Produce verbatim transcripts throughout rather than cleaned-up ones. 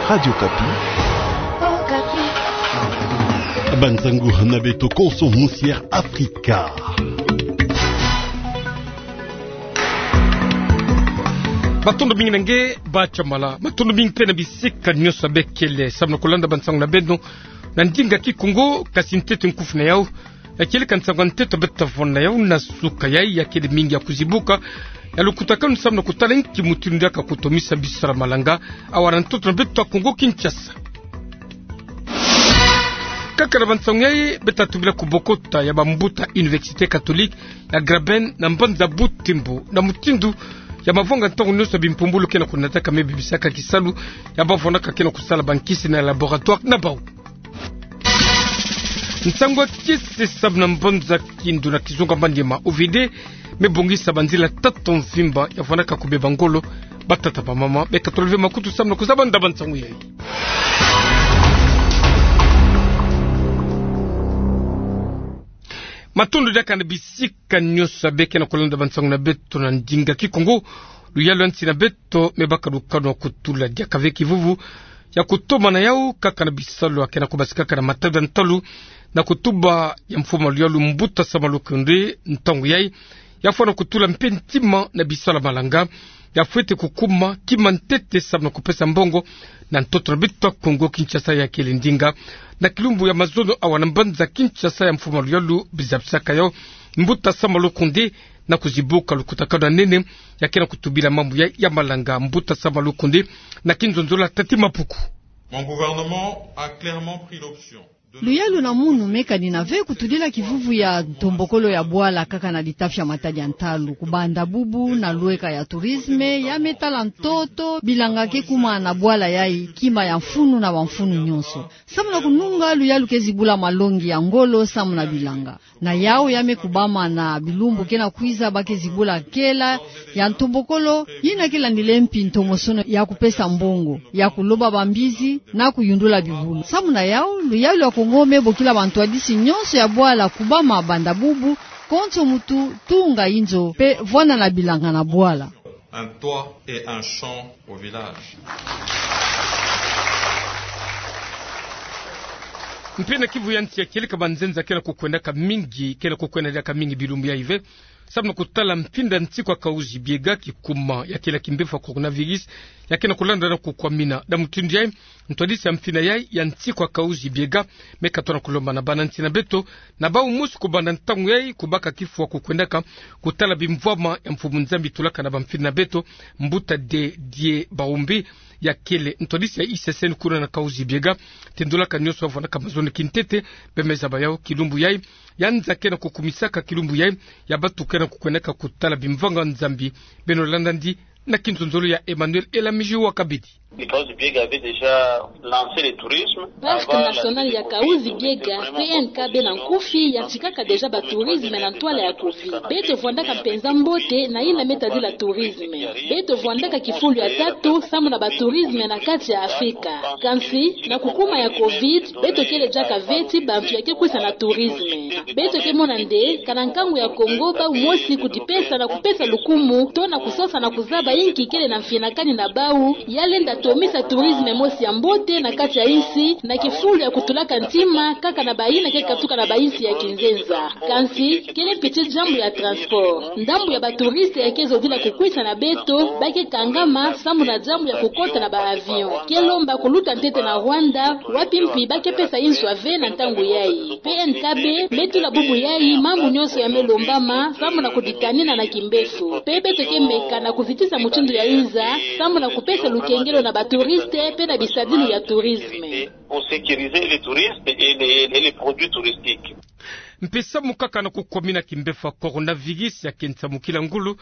Radio Okapi. Bansangu na beto Konso Musière Afrika. Matondo mingi na nge, Ba Chamala. Matondo mingi mpe na bisika nyonso bekele samu na kulanda bansangu na beno na ndinga Kikongo, kasi ntete nkufi na yau ya kieleka nsangu ya ntoto beto tavona yau na suka yai, ya kele mingi ya kuzibuka, ya lukutakanu samu na kutala nki mutindu diaka kutomisa bisala malanga awa na ntoto na beto ya Kongo Kinshasa. Kaka na bansangu yai, beto tubila kubokota ya bambuta Université Catholique ya Graben na mbanza Butembo, na mutindu ya mavanga ntangu nyonso ya bimpumbulu ke na kunataka me bibisaka kisalu ya bavonaka ke na kusala bankisi na laboratoire na bau. Nsangu ya kiese samu na mbanza Kindu na kizunga manima O V D me bongisa banzila tatu mvimba ya vandaka kubeba ngolo. Batata, bamama, beka tolove makutu samu na kuzaba nda bansangu yai. Matondo diaka na bisika nyonso beke na kulanda bansangu na beto na ndinga Kikongo. Luyalu ya nsi na beto me baka lukanu ya kutula diaka ve kivuvu ya kutomana yau kaka na bisalu ya ke na kubasikaka na matadi ya ntalu na kutuba ya mfumu luyalu Mbuta Sama Lukonde. Ntangu yai ya fwana kutula mpe ntima na bisalu ya malanga ya fwete kukuma kima ntete samu na kupesa mbongo na ntoto na beto ya Kongo Kinshasa, ya kele ndinga na kilumbu ya mazono awa na mbanza Kinshasa ya mfumu luyalu bizabisaka yau Mbuta Sama Lukonde, na kuzibuka lukutakanu ya nene ya ke na kutubila mambu ya, ya malanga. Mbuta Sama Lukonde na kinzonzolo ya Tati Mapuku. Mon gouvernement a clairement pris l'option de... Luyalu na munu me kanina ve kutudila kivuvu ya ntombokolo ya bwala kaka na litafi ya matadi ya ntalu. Kubanda bubu na lweka ya tourisme, ya me tala ntoto bilanga ke kuma na bwala yai kima ya mfunu na bamfunu nyonso. Samu na kununga, luyalu ke zibula malongi ya ngolo samu na bilanga. Na yau ya me kubama na bilumbu ke na kwiza, ba ke zibula kela ya ntombokolo yina ke landile mpi ntomosono ya kupesa mbongo, ya kuloba bambizi na kuyundula bibulu. Samu na yau, luyalu ya Kongo me bokila bantwadisi nyonso ya bwala kubama banda bubu, konso muntu tunga inzo mpe vwanda na bilanga na bwala. Un toit et un champ au village. Mpe na kivu ya nsi ya kieleka, banzenza ke na kukwendaka mingi, ke na kukwenda diaka mingi bilumbu yai ve samu na kutala mfinda nsiku ya Kahuzi-Biega, kikuma ya kele ya kimbevo ya coronavirus ya ke na kulanda na kukwamina. Na mutindu yai, ntwadisi ya mfinda yai ya nsiku ya Kahuzi-Biega me katona kulomba na bana nsi na beto na bau mosi kubanda ntangu yai kubaka kifwa ya kukwendaka kutala bimvwama ya Mfumu Nzambi tulaka na bamfinda na beto, Mbuta Didier Baumbi, ya kele ntwadisi ya I C C N kuna na Kahuzi-Biega. Tindolaka nyonso bavwandaka mazono kintete, beno me zaba yau. Kilumbu yai ya nza ke na kukumisaka kilumbu yai ya batu ke na kukwendaka kutala bimvanga Nzambi. Beno landa ndi na kinzonzolo ya Emmanuel Elamiji wa Kabidi. Parc national ya Kahuzi-Biega, P N K B, na nkufi yantikaka déjà ba tourisme na ntwala ya covid. Beto vwandaka mpenza mbote na yina me tadila tourisme. Beto vwandaka kifulu ya tatu samu na ba tourisme na kati ya Afrika. Kansi, na kukuma ya covid, beto kele diaka ve ti bantu ya ke kwisa na tourisme. Beto ke mona nde, kana nkangu ya Kongo bau mosi kudipesa na kupesa lukumu, to na kusosa na kuzaba inki kele na mfinakani na bau, ya lenda tomisa tourisme mosi ya mbote na kati ya insi, na kifulu ya kutulaka ntima kaka na bayina ke katuka na bainsi ya kinzenza. Kansi, kele mpi ti diambu ya transport. Ndambu ya ba touristes ya ke zodila kukwisa na beto, ba ke kangama samu na diambu ya kukota na ba avions. Ke lomba kuluta ntete na Rwanda, wapi mpi ba ke pesa inswa ve na ntangu yai. P N K B me tula bubu yai mambu nyonso ya me lombama samu na kuditanina na kimbevo. Mpe beto ke meka na kuzitisa mutindu ya inza samu na kupesa lukengelo na ba touristes mpe na bisadulu ya tourisme. Pour sécuriser les touristes et les, et les produits touristiques. Mpe samu kaka na kukwamina kimbevo ya coronavirus ya ke nsamukila ngolo,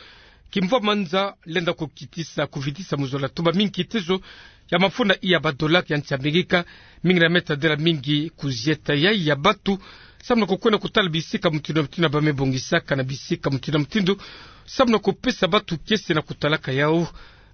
kimvwama nza lenda kukitisa, kuvitisa muzola tuba mingi kitezo ya mafunda iya ba dollars ya nsi Amerika, mingi na me tadila mingi kuzieta yai ya batu samu na kukwenda kutala bisika mutindu na mutindu ba me bongisaka na bisika mutindu na mutindu samu na kupesa batu kiese na kutalaka yau.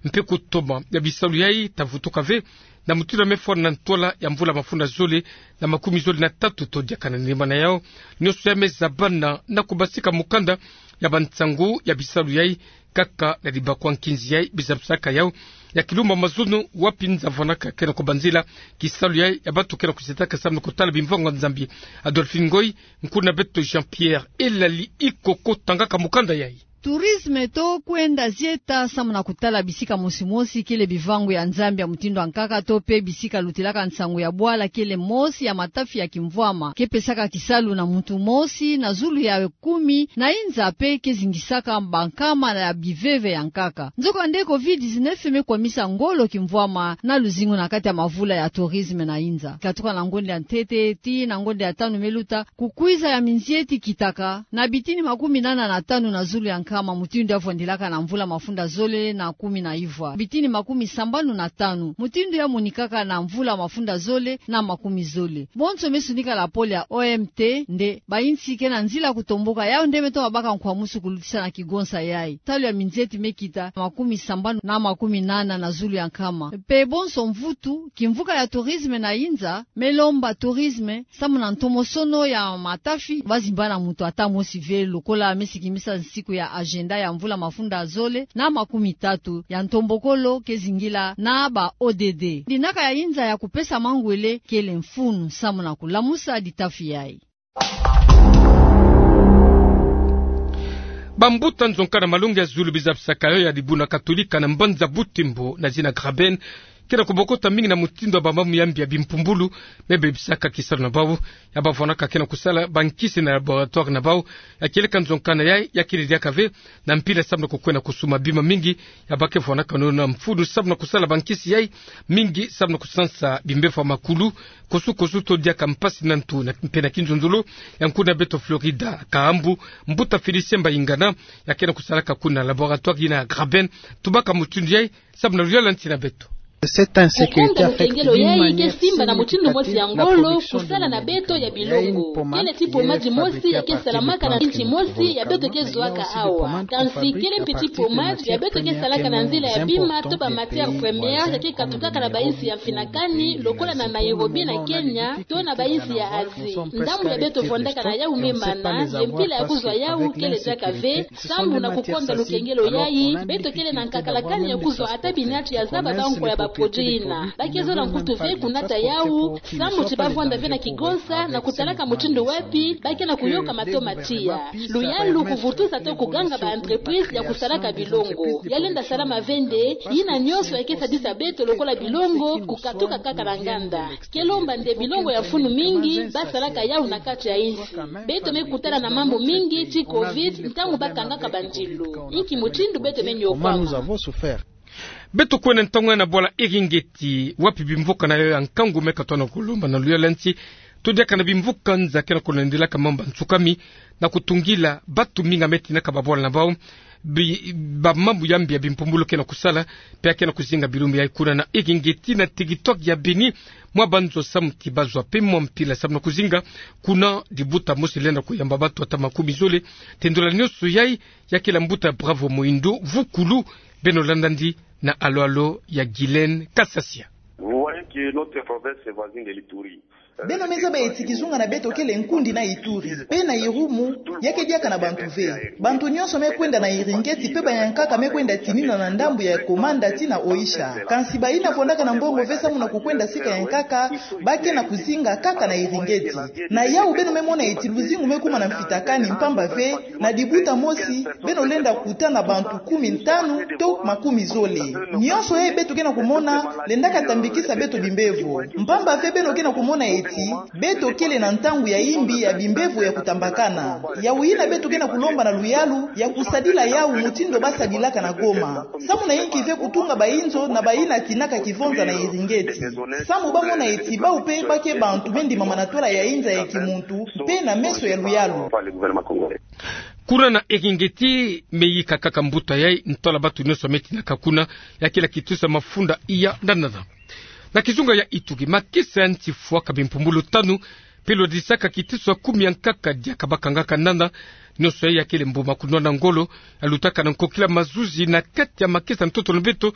Mpe kutoma ya bisalu yai ta vutuka ve na mutindu ya me fwana na ntwala ya mvula mafunda zole na makumi zole na tatu to diaka na nima na yau. Nyonso ya me zabana na kubasika mukanda ya bansangu ya bisalu yai kaka na dibakwa nkinzi yai bizabisaka yau ya Kilumba Mazono, wapi nza vwanaka ke na kubanzila kisalu yayi ya bantu ke na kusetaka samu na kutala bimvwama ya Nzambi. Adolphine Ngoy, nkuna beto Jean-Pierre Elali Ikoko tangaka mukanda yayi. Tourisme to kwenda zieta samu na kutala bisika mosi mosi kele bimvwama ya Nzambi ya mutindu ya nkaka to pe bisika lutilaka nsangu ya bwala kele mosi ya matafi ya kimvwama ke pesaka kisalu na muntu mosi na zulu ya kumi na inza pe ke zingisaka bankama ya biveve ya nkaka. Nzokande covid dix-neuf me kwamisa ngolo kimvwama na luzingu na kati ya mavula ya tourisme na inza. Katuka na ngonda ya ntete tii na ngonda ya tanu me luta, kukwiza ya minzieti kitaka na bitini makumi nana na tanu na zulu ya nkama mutindu ya vwandilaka na mvula mafunda zole na kumi na ivwa, bitini makumi sambanu na tanu mutindu ya monikaka na mvula mafunda zole na makumi zole. Bonso me sunika la pole ya O M T nde bainsi ke na nzila kutomboka, yau nde me toma baka nkwamusu kulutisa na kigonsa yayi. Talu ya minzieti me kita makumi sambanu na makumi nana na zulu ya nkama. Pe bonso mvutu, kimvuka ya tourisme na inza me lomba tourisme samu na ntomosono ya matafi, ba zimba na muntu ata mosi ve, lokola me sikimisa nsiku ya agenda ya mvula mafunda zole na makumi tatu ya ntombokolo ke zingila na ba O D D. Dinaka ya inza ya kupesa mangwele kele mfunu samu na kulamusa ditafi yayi. Bambuta nzonka na malongi ya zulu bizabisaka yo ya dibuna Katolika na mbanza Butembo na zina Graben, ke na kubokota mingi na mutindu ya bamambu ya mbi ya bimpumbulu me bebisaka kisalu na bau. Ya bavwanaka ke na kusala bankisi na laboratoire na bau ya kieleka nzonka na yayi, ya kele diaka ve na mpila samu na kukwenda kusuma bima mingi. Ya ba ke vwanaka nono na mfunu samu na kusala bankisi yayi, mingi samu na kusansa bimbevo ya makulu, kosukosu to diaka mpasi na ntu na mpe na kinzonzolo. Ya nkuna beto Florida Kahambu, mbuta Félicien Mbayingana, ya ke na kusalaka kuna laboratoire yina Graben, tubaka mutindu yayi samu na luyala nti na beto. Kukunda lukengelo yayi ke simba na mutindu mosi ya ngolo kusala na beto ya bilongo. Kele ti poma dimosi ya ke salamaka na nti mosi ya beto ke zwaka awa. Kansi kele mpe ti poma ya beto ke salaka na nzila ya bima to ba matières premières ya ke katukaka na bainsi ya mfinakani, lokola na Nairobi na Kenya, to na bainsi ya Asie. Ndambu ya beto vwandaka na yau me mana, ye mpila ya kuzwa yau kele diaka ve. Sambu na kukonda lukengelo yayi, beto kele na nkakalakani ya kuzwa ata binati ya zaba bankwa ya ba produit yina. Ba ke zola nkutu ve kunata yau, sambu ti ba vwanda ve na kigonsa na kutalaka mutindu wapi ba ke na kuyoka matoma tiya. Luyalu, kuvutusa to kuganga ba entreprise ya kusalaka bilongo. Ya lenda salama ve nde, yina nyonso ya ke sadisa beto lokola bilongo kukatuka kaka na nganda. Ke lomba nde bilongo ya mfunu mingi ba salaka yau na kati ya insi. Beto me kutana na mambu mingi ti covid ntangu ba kangaka bandilu. Inki mutindu beto me niokwama? Beto kwenda ntangu ya na bwala Eringeti, wapi bimvuka na yo ya nkangu me katono kulomba na luyala nti, to diaka na bimvuka nza ke na kulandilaka mambu ya nsukami na kutungila batu mingi me tinaka babwala na bau. Bi-, bamambu ya mbi ya bimpumbulu ke na kusala, pe ya ke na kuzinga bilumbu yayi kuna na Eringeti na territoire ya Beni. Mwa banzo samu ti bazwa pe mwa mpila samu na kuzinga kuna, dibuta mosi lenda kuyamba batu ata makumi zole. Tendula nyonso yayi, ya kele mbuta Bravo Moindo, vukulu, beno landa ndi na alo-alo ya Guylaine Kasasia. Vous voyez que notre province voisine de l'Ituri, beno me zaba eti kizunga na beto kele nkundi na Ituri, pe na Irumu, ya ke diaka na bantu ve. Bantu nyonso me kwenda na Eringeti, pe bayankaka me kwenda tinina na ndambu ya Komanda tii na Oicha. Kansi bayina vwandaka na mbongo ve samu na kukwenda sika yankaka, ba ke na kuzinga kaka na Eringeti. Na yau beno me mona eti luzingu me kuma na mfitakani, mpamba ve, na dibuta mosi, beno lenda kuta na bantu kumi ntanu to makumi zole. Nyonso yayi beto ke na kumona, lendaka tambikisa beto bimbevo. Mpamba ve beno ke na kumona eti, beto kele na ntangu ya imbi ya bimbevo ya kutambakana. Yau yina beto ke na kulomba na luyalu, ya kusadila yau mutindu ba sadilaka na Goma. Samu na inki ve kutunga bainzo na bayina tinaka kivonza na Eringeti? Samu ba mona eti bau pe ba ke bantu me ndimama na twala ya inza ya kimuntu, pe na meso ya luyalu. Kuna na Eringeti, me yika kaka mbuta yayi, ntwala batu nyonso me tinaka kuna, ya kele kitiso ya mafunda iya na nana. Na kizunga ya Ituri, makesa ya nti fwaka bimpumbulu tanu, pe lwadisaka kitiso ya kumi yankaka diaka ba kangaka nana. Nyonso yayi ya kele mbuma kunwana ngolo, ya lutaka na nkokila mazuzi na kati ya makesa ntoto na beto,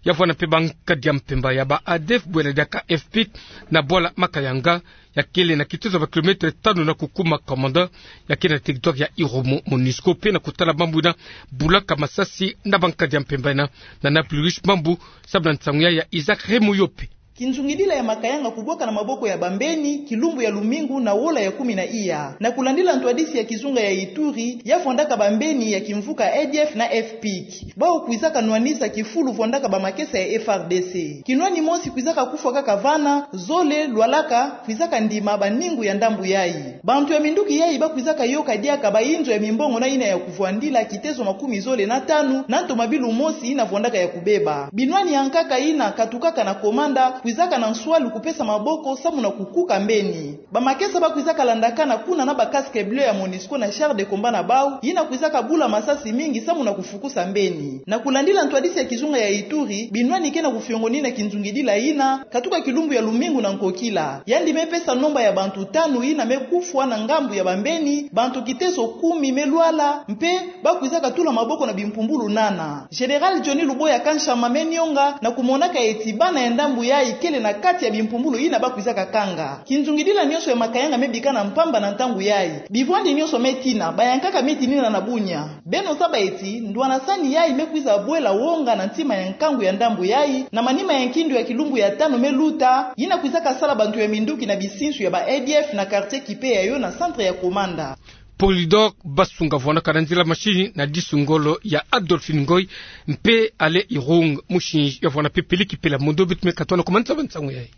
Ya vwanda mpe bankadi ya mpemba ya ba A D F bwela diaka FPIC na bwala Makayanga, ya kele na kitezo ba kilomètre tanu na kukuma Komanda, ya kele na territoire ya Irumu. MONUSCO mpe na kutala mambu ina bulaka masasi na bankadi ya mpemba ina. Na Nablus mambu samu na nsangu ya Isaac Remoyope. Kinzungidila ya Makayanga kubwaka na maboko ya bambeni kilumbu ya lumingu na wola ya kumi na iya. Na kulandila ntwadisi ya kizunga ya Ituri, ya vwandaka bambeni ya kimvuka A D F na FPIC, bawu kwizaka nwanisa kifulu vwandaka bamakesa ya FARDC. Kinwani mosi kwizaka kufwa kaka vana, zole, lwalaka, kwizaka ndima baningu ya ndambu yayi. Bantu ya minduki yayi bakwizaka yoka diaka bayinzo ya mimbongo na ina ya kuvwandila kitezo makumi zole na tanu, na ntomabilu mosi ina vwandaka ya kubeba. Binwani ya nkaka ina katukaka na Komanda kwizaka na nswalu kupesa maboko samu na kukuka mbeni. Bamakesa bakwizaka landakana kuna na ba casque bleu ya MONUSCO na char de combat na bawu, ina kwizaka bula masasi mingi samu na kufukusa mbeni. Na kulandila ntwadisi ya kizunga ya Ituri, binwani ke na kufiongonina kinzungidila ina katuka kilumbu ya lumingu na nkokila. Yandi me pesa nomba ya bantu tanu ina me kufwa na ngambu ya bambeni, bantu kitezo kumi me lwala, mpe bakwizaka tula maboko na bimpumbulu nana. Général Johnny Luboya Kanshama me nionga na kumonaka eti bana ya ndambu yayi kele na kati ya bimpumbulu ina bakwizaka kanga. Kinzungidila nionso ya Makayanga me bikana mpamba na ntangu yayi. Bivwandi nionso me tina, bayankaka me tinina na bunya. Beno zaba eti, ndwanasani yayi me kwiza bwela wonga na ntima ya nkangu ya ndambu yayi, na manima ya nkindu ya kilumbu ya tanu me luta, ina kwizaka sala bantu ya minduki na bisinsu ya ba A D F na quartier Kipe ya yo na centre ya Komanda. Polydor Basunga vwandaka na nzila machine na disu ngolo ya Adolphine Ngoy, mpe Alain Irung, musinzi ya vwanda mpe peliki pela mondo bit me katona ku manza ba nsangu yayi.